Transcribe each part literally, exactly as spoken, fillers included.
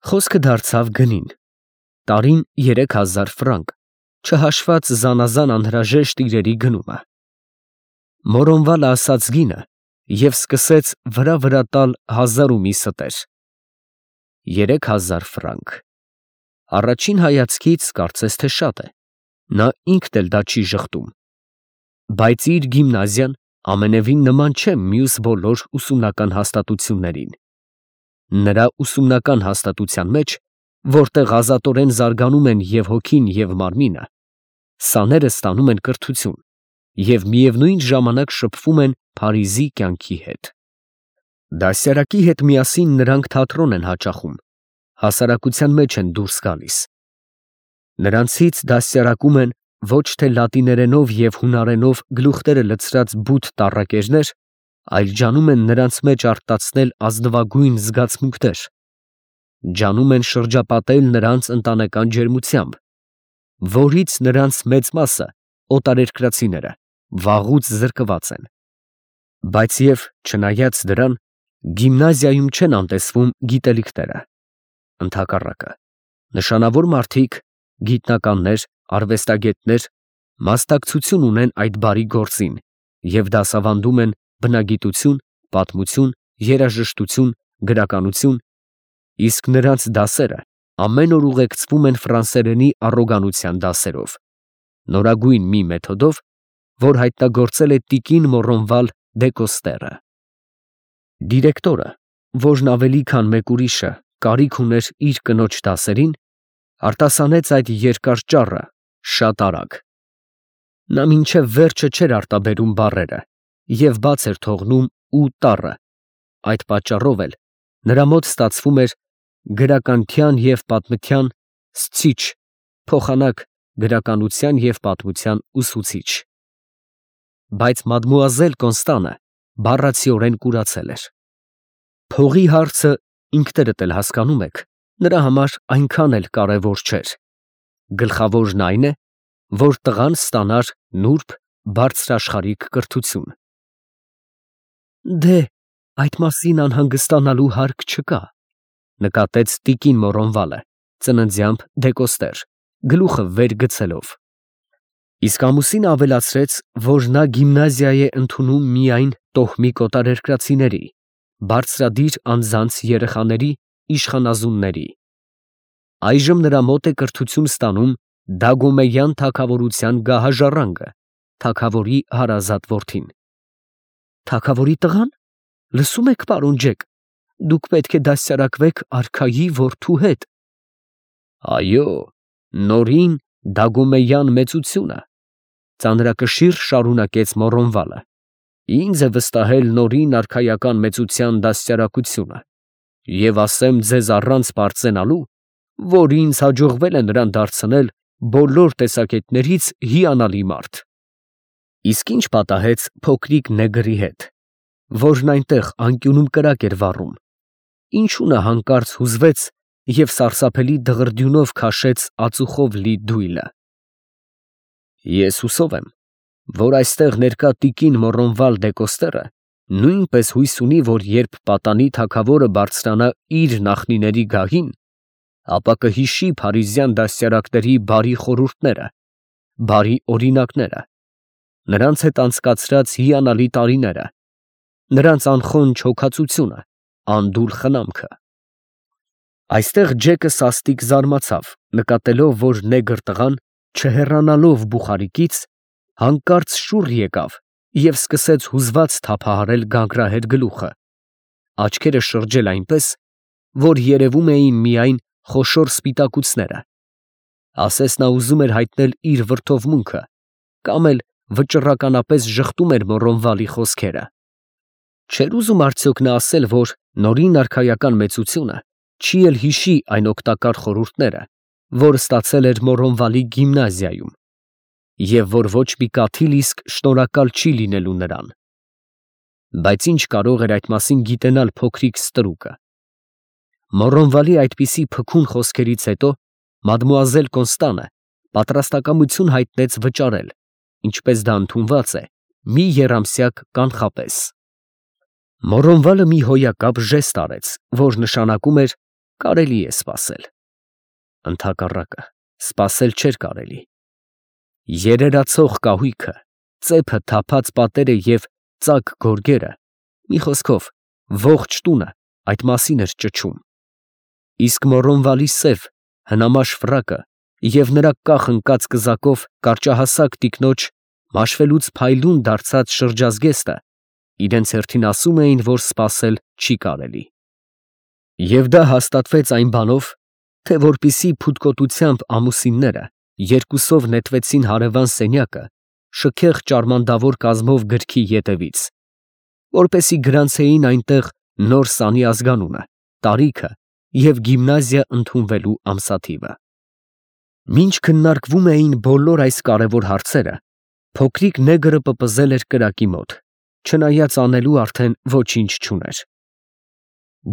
Խոսքը դարձավ գնին. տարին երեք հազար ֆրանկ, չհաշված զանազան անհրաժեշտ իրերի գնումը։ Մորոնվալը ասաց գինը և սկսեց վրա֊վրա տալ հազար ու մի ստեր։ Երեք հազար ֆրանկ. առաջին հայացքից կարծես թե շատ է, նա ինքն էլ դա չի ժխտում, բայց իր գիմնազիան ամենևին նման չէ մյուս բոլոր ուսումնական հաստատություններին։ Նրա ուսումնական հաստատության մեջ, որտեղ ազատորեն զարգանում են և հոգին, և մարմինը, սաները ստանում են կրթություն և միևնույն ժամանակ շփվում են Փարիզի կյանքի հետ։ Դասյարակի հետ միասին նրանք թատրոն են հաճախում, հասարակության մեջ են դուրս գալիս։ Նրանցից դաստիարակում են ոչ թե լատիներենով և հունարենով գլուխները լցրած բութ տառակերներ, այլ ջանում են նրանց մեջ արտացնել ազնվագույն զգացմունքներ, ջանում են շրջապատել նրանց ընտանեկան ջերմությամբ, որից նրանց մեծ մասը, օտարերկրացիները, վաղուց զրկված են։ Բայց և չնայած դրան, գիմնազիայում չեն անտեսվում գիտելիքները, ընդհակառակը, նշանավոր մարդիկ, գիտնականներ, արվեստագետներ մասնակցություն ունեն այդ բարի գործին և դասավանդում են բնագիտություն, պատմություն, երաժշտություն, գրականություն, իսկ նրանց դասերը ամեն օր ուղեկցվում են ֆրանսերենի առոգանության դասերով, նորագույն մի մեթոդով, որ հայտնագործել է տիկին Մոռոնվալ դե Կոստերը։ Դիրեկտորը, որն ավելի քան մեկ ուրիշը կարիք ուներ իր կնոջ դասերին, արտասանեց այդ երկար ճառը շատ արագ։ Նա մինչև վերջը չէր արտաբերում բառերը և բաց էր թողնում ու տառը, այդ պատճառով էլ նրա մոտ ստացվում էր գրականության և պատմության սցիչ, փոխանակ գրականության և պատմության ուսուցիչ։ Բայց մադմուազել Կոնստանը բառացիորեն կուրացել էր։ Փողի հարցը, ինքներդ էլ հասկանում եք, նրա համար այնքան էլ կարևոր չէր, գլխավորն այն է, որ տղան ստանար նուրբ, բարձրաշխարհիկ կրթություն։ Դե, այդ մասին անհանգստանալու հարկ չկա, նկատեց տիկին Մոռոնվալը, ծննդյամբ դեկոստեր, գլուխը վեր գցելով։ Իսկ ամուսինը ավելացրեց, որ նա գիմնազիա է ընդունում միայն տոհմիկ օտարերկրացիների, բարձրադիր անձանց երեխաների, իշխանազունների։ Այժմ նրա մոտ է կրթություն ստանում Դագոմեյան թագավորության գահաժառանգը, թագավորի հարազատ որդին։ Թագավորի տղա՞ն, լսում եք, պարոն Ջեք, դուք պետք է դաստիարակվեք արքայի որդու հետ։ Այո, Նորին Դագոմեյան մեծությունը, ծանրակշիռ շարունակեց Մոռոնվալը, ինձ է վստահել Նորին արքայական մեծության դաստիարակությունը, և ասեմ ձեզ առանց պարծենալու, որ ինձ հաջողվել է նրան դարձնել բոլոր տեսակետներից հիանալի մարդ։ Իսկ ի՞նչ պատահեց փոքրիկ նեգրի հետ, որն այնտեղ անկյունում կրակ էր վառում, ինչու նա հանկարծ հուզվեց և սարսափելի դղրդյունով քաշեց ածուխով լի դույլը։ Ես հուսով եմ, որ այստեղ ներկա տիկին Մոռոնվալ դե Կոստերը նույնպես հույս ունի, որ երբ պատանի թագավորը բարձրանա իր նախնիների գահին, ապա կհիշի փարիզյան դաստիարակների բարի խորհուրդները, բարի օրինակները, նրանց հետ անցկացրած հիանալի տարիները, նրանց անխոնջ հոգածությունը, անդուլ խնամքը։ Այստեղ Ջեկը սաստիկ զարմացավ, նկատելով, որ նեգր տղան, չհեռանալով բուխարիկից, հանկարծ շուռ եկավ և սկսեց հուզված թափահարել գանգրահեր գլուխը, աչքերը շրջել այնպես, որ երևում էին միայն խոշոր սպիտակուցները, ասես նա ուզում էր հայտնել իր վրդովմունքը կամ էլ վճռականապես ժխտում էր Մոռոնվալի խոսքերը։ Չէր ուզում արդյոք նա ասել, որ Նորին արքայական մեծությունը չի էլ հիշի այն օգտակար խորհուրդները, որ ստացել էր Մոռոնվալի գիմնազիայում, և որ ոչ մի կաթիլ իսկ շնորհակալ չի լինելու նրան։ Բայց ի՞նչ կարող էր այդ մասին գիտենալ փոքրիկ ստրուկը։ Մոռոնվալի այդպիսի փքուն խոսքերից հետո մադմուազել Կոնստանը պատրաստակամություն հայտնեց վճարել, ինչպես դա ընդունված է, մի եռամսյակ կանխապես։ Մոռոնվալը մի հոյակապ ժեստ արեց, որ նշանակում էր, կարելի է սպասել։ Ընդհակառակը, սպասել չէր կարելի։ Երերացող կահույքը, ծեփը թափած պատերը և ծակ գորգերը, մի խոսքով, ողջ տունը այդ մասին էր ճչում։ Իսկ Մոռոնվալի սև, հնամաշ ֆրակը և նրա կախ ընկած կզակով կարճահասակ տիկնոջ մաշվելուց փայլուն դարձած շրջազգեստը իրենց հերթին ասում էին, որ սպասել չի կարելի։ Եվ դա հաստատվեց այն բանով, թե որպեսզի փութկոտությամբ ամուսինները երկուսով նետվեցին հարևան սենյակը շքեղ ճարմանդավոր կազմով գրքի ետևից, որպեսզի գրանցեին այնտեղ նոր սանի ազգանունը, տարիքը և գիմնազիա ընդունվելու ամսաթիվը։ Մինչ քննարկվում էին բոլոր այս կարևոր հարցերը, փոքրիկ նեգրը պպզել էր կրակի մոտ, չնայած անելու արդեն ոչինչ չուներ։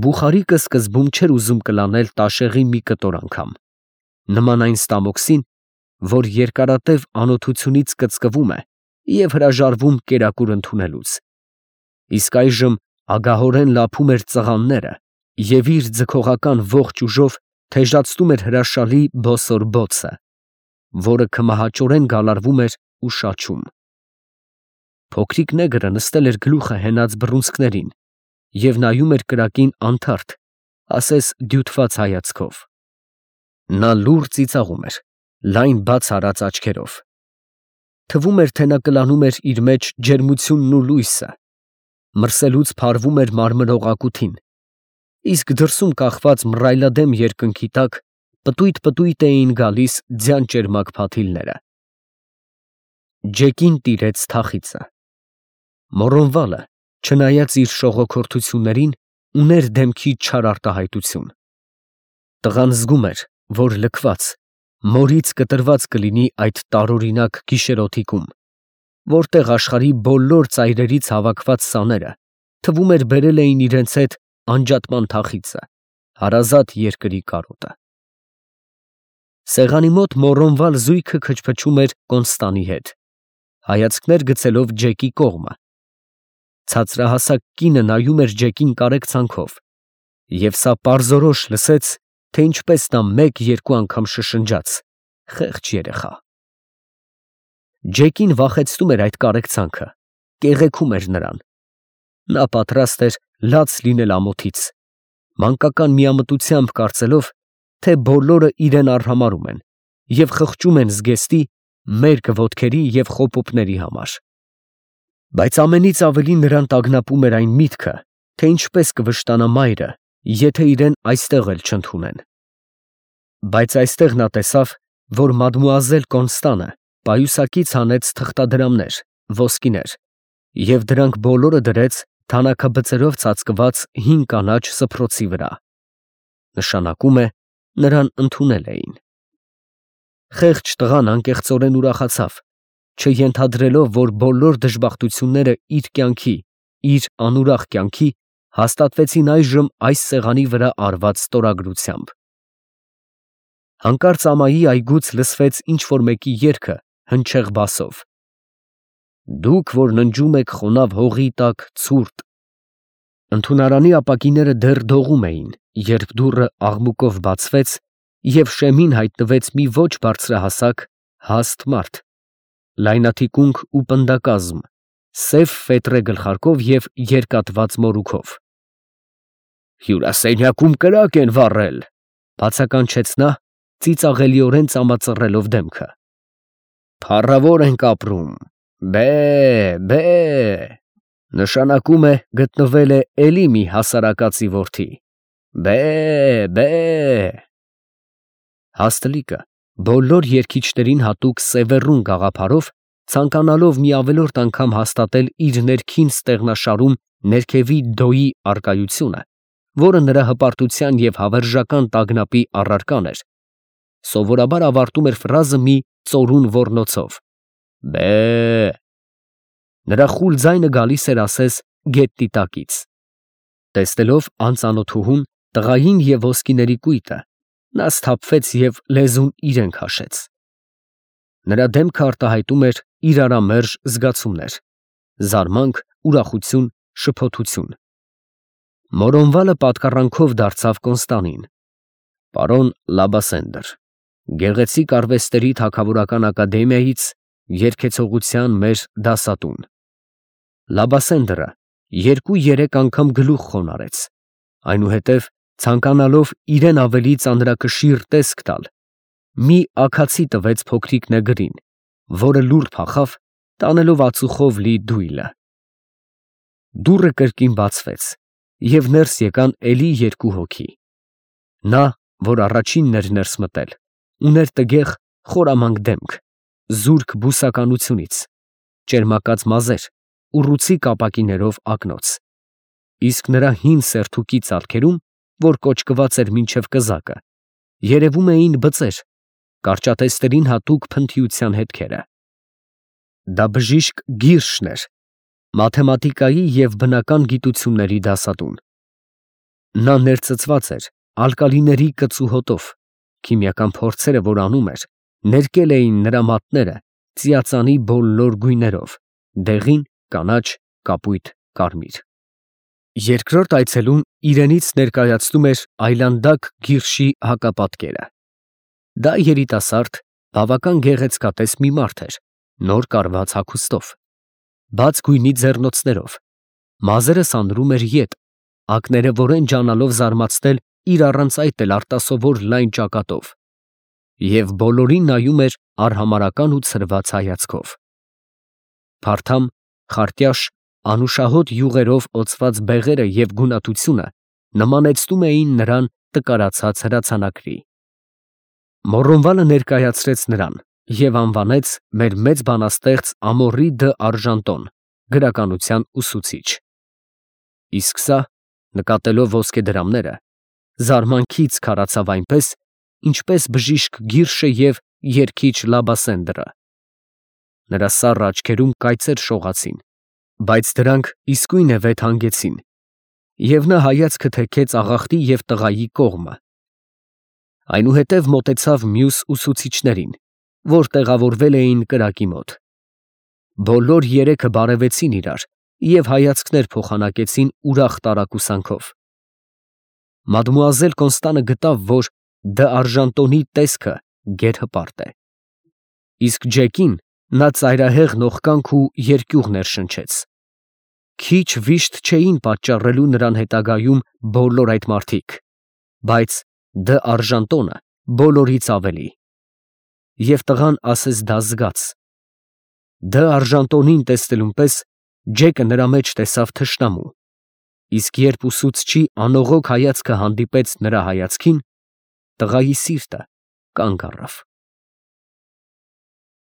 Բուխարիկը սկզբում չէր ուզում կլանել տաշեղի մի կտոր անգամ, նման այն ստամոքսին, որ երկարատև անօթությունից կծկվում է և հրաժարվում կերակուր ընդունելուց, իսկ այժմ ագահորեն լափում էր ծղանները և իր ձգողական ողջ ուժով թեժացնում էր հրաշալի բոսոր բոցը, որը քմահաճորեն գալարվում էր ու շաչում։ Փոքրիկ նեգրը նստել էր գլուխը հենած բռունցքներին և նայում էր կրակին անթարթ, ասես դյութված հայացքով։ Նա լուռ ծիծաղում էր, լայն բաց արած աչքերով։ Թվում էր, թե նա կլանում էր իր մեջ ջերմությունն ու լույսը, մրսելուց փարվում էր մարմրող իսկ դրսում կախված մռայլադեմ երկնքի տակ պտույտ֊պտույտ էին գալիս ձյան ճերմակ փաթիլները։ Ջեկին տիրեց թախիծը։ Մոռոնվալը, չնայած իր շողոքորթություններին, ուներ դեմքի չար արտահայտություն։ Տղան զգում էր, որ լքված, մորից կտրված կլինի այդ տարօրինակ գիշերօթիկում, որտեղ աշխարհի բոլոր ծայրերից հավաքված սաները, թվում էր, բերել էին իրենց հետ անջատման թախիծը, հարազատ երկրի կարոտը։ Սեղանի մոտ Մոռոնվալ զույգը քչփչում էր Կոնստանի հետ, հայացքներ գցելով Ջեկի կողմը։ Ցածրահասակ կինը նայում էր Ջեկին կարեկցանքով, և սա պարզորոշ լսեց, թե ինչպես նա մեկ֊երկու անգամ շշնջաց. «Խեղճ երեխա»։ Ջեկին վախեցնում էր այդ կարեկցանքը, կեղեքում էր նրան։ Նա պատրաստ էր լաց լինել ամոթից, մանկական միամտությամբ կարծելով, թե բոլորը իրեն արհամարհում են և խղճում են զգեստի, մերկ ոտքերի և խոպոպների համար։ Բայց ամենից ավելի նրան տագնապում էր այն միտքը, թե ինչպես կվշտանա մայրը, եթե իրեն այստեղ էլ չընդունեն։ Բայց այստեղ նա տեսավ, որ մադմուազել Կոնստանը պայուսակից հանեց թղթադրամներ, ոսկիներ, և դրանք բոլորը դրեց թանաքաբծերով ծածկված հին կանաչ սփռոցի վրա։ Նշանակում է, նրան ընդունել էին։ Խեղճ տղան անկեղծորեն ուրախացավ, չենթադրելով, որ բոլոր դժբախտությունները իր կյանքի, իր անուրախ կյանքի հաստատվեցին այժմ այս սեղանի վրա արված ստորագրությամբ։ Հանկարծ ամայի այգուց լսվեց ինչ֊որ մեկի երգը հնչեղ բասով. «Դուք, որ ննջում եք խոնավ հողի տակ ցուրտ»։ Ընդունարանի ապակիները դեռ դողում էին, երբ դուռը աղմուկով բացվեց, և շեմին հայտնվեց մի ոչ բարձրահասակ, հաստ մարդ, լայնաթիկունք ու պնդակազմ, սև ֆետրե գլխարկով և երկատված մորուքով։ «Հյուրասենյակում կրակ են վառել», ֊ բացականչեց նա, ծիծաղելիորեն ծամածռելով դեմքը։ «Փառավոր ենք ապրում, բե՛, բե՛, նշանակում է գտնվել է էլի մի հասարակածի որդի, բե՛, բե՛»։ Հաստ լիկը բոլոր երգիչներին հատուկ սևեռուն գաղափարով, ցանկանալով մի ավելորդ անգամ հաստատել իր ներքին ստեղնաշարում ներքևի դոյի առկայությունը, որը նրա հպարտության և հավերժական տագնապի առարկան էր, սովորաբար ավարտում էր ֆրազը մի ծորուն ոռնոցով. «Բե՛»։ Նրա խուլ ձայնը գալիս էր ասես գետնի տակից։ Տեսնելով անծանոթուհուն, տղային և ոսկիների կույտը, նա սթափվեց և լեզուն իրեն քաշեց։ Նրա դեմքը արտահայտում էր իրարամերժ զգացումներ՝ զարմանք, ուրախություն, շփոթություն։ Մոռոնվալը պատկառանքով դարձավ Կոնստանին, Պարոն Լաբասենդր, գեղեցիկ արվեստների թագավորական ակադեմիայից երգեցողության մեր դասատուն։ Լաբասենդրը երկու֊երեք անգամ գլուխ խոնարհեց, այնուհետև ցանկանալով իրեն ավելի ծանրակշիռ տեսք տալ, մի աքացի տվեց փոքրիկ նեգրին, որը լուռ փախավ, տանելով ածուխով լի դույլը։ Դուռը կրկին բացվեց, և ներս եկան էլի երկու հոգի։ Նա, որ առաջինն էր ներս մտել, ուներ տգեղ, խորամանկ դեմք, զուրկ բուսականությունից, ճերմակած մազեր, ուռուցիկ ապակիներով ակնոց, իսկ նրա հին սերթուկի ծալքերում, որ կոճկված էր մինչև կզակը, երևում էին բծեր, կարճատեստրին հատուկ փնթիության հետքերը։ Դա բժիշկ Գիրշն էր, մաթեմատիկայի և բնական գիտությունների դասատուն։ Նա ներծծված էր ալկալիների կծու հոտով, քիմիական փորձերը, որ անում էր, ներկել էին նրա մատները ծիածանի բոլոր գույներով՝ դեղին, կանաչ, կապույտ, կարմիր։ Երկրորդ այցելուն իրենից ներկայացնում էր այլանդակ Գիրշի հակապատկերը։ Դա երիտասարդ, բավական գեղեցկատես մի մարդ էր, նոր կարված հագուստով, բաց գույնի ձեռնոցներով, մազերը սանրում էր ետ, ակները որեն ջանալով զարմացնել իր առանց այդ էլ արտասովոր լայն ճակատով, և բոլորին նայում էր արհամարհական ու ցրված հայացքով։ Փարթամ, խարտյաշ, անուշահոտ յուղերով օծված բեղերը և գունատությունը նմանեցնում էին նրան տկարացած հրացանակրի։ Մոռոնվալը ներկայացրեց նրան և անվանեց մեր մեծ բանաստեղծ Ամորի դը Արժանտոն, գրականության ուսուցիչ։ Իսկ սա, նկատելով ոսկեդրամները, զարմանքից քարացավ այնպես, ինչպես բժիշկ Գիրշը և երգիչ Լաբասենդրը։ Նրա սառը աչքերում կայծեր շողացին, բայց դրանք իսկույն է վեթ հանգեցին, և նա հայացքը թեքեց աղախտի և տղայի կողմը։ Այնուհետև մոտեցավ մյուս ուսուցիչներին, որ տեղավորվել էին կրակի մոտ։ Բոլոր երեքը բարևեցին իրար և հայացքներ փոխանակեցին ուրախ տարակուսանքով։ Մադմուազել Կոնստանը գտավ, որ դը Արժանտոնի տեսքը գերհպարտ է, իսկ Ջեկին նա ծայրահեղ նողկանք ու երկյուղ ներշնչեց։ Քիչ վիշտ չէին պատճառելու նրան հետագայում բոլոր այդ մարդիկ, բայց դը Արժանտոնը բոլորից ավելի։ Եվ տղան ասես դա զգաց։ Դը Արժանտոնին տեսնելուն պես Ջեկը նրա մեջ տեսավ թշնամու, իսկ երբ ուսուցչի անողոք հայացքը հանդիպեց նրա հայացքին, տղայի սիրտը կանգ առավ։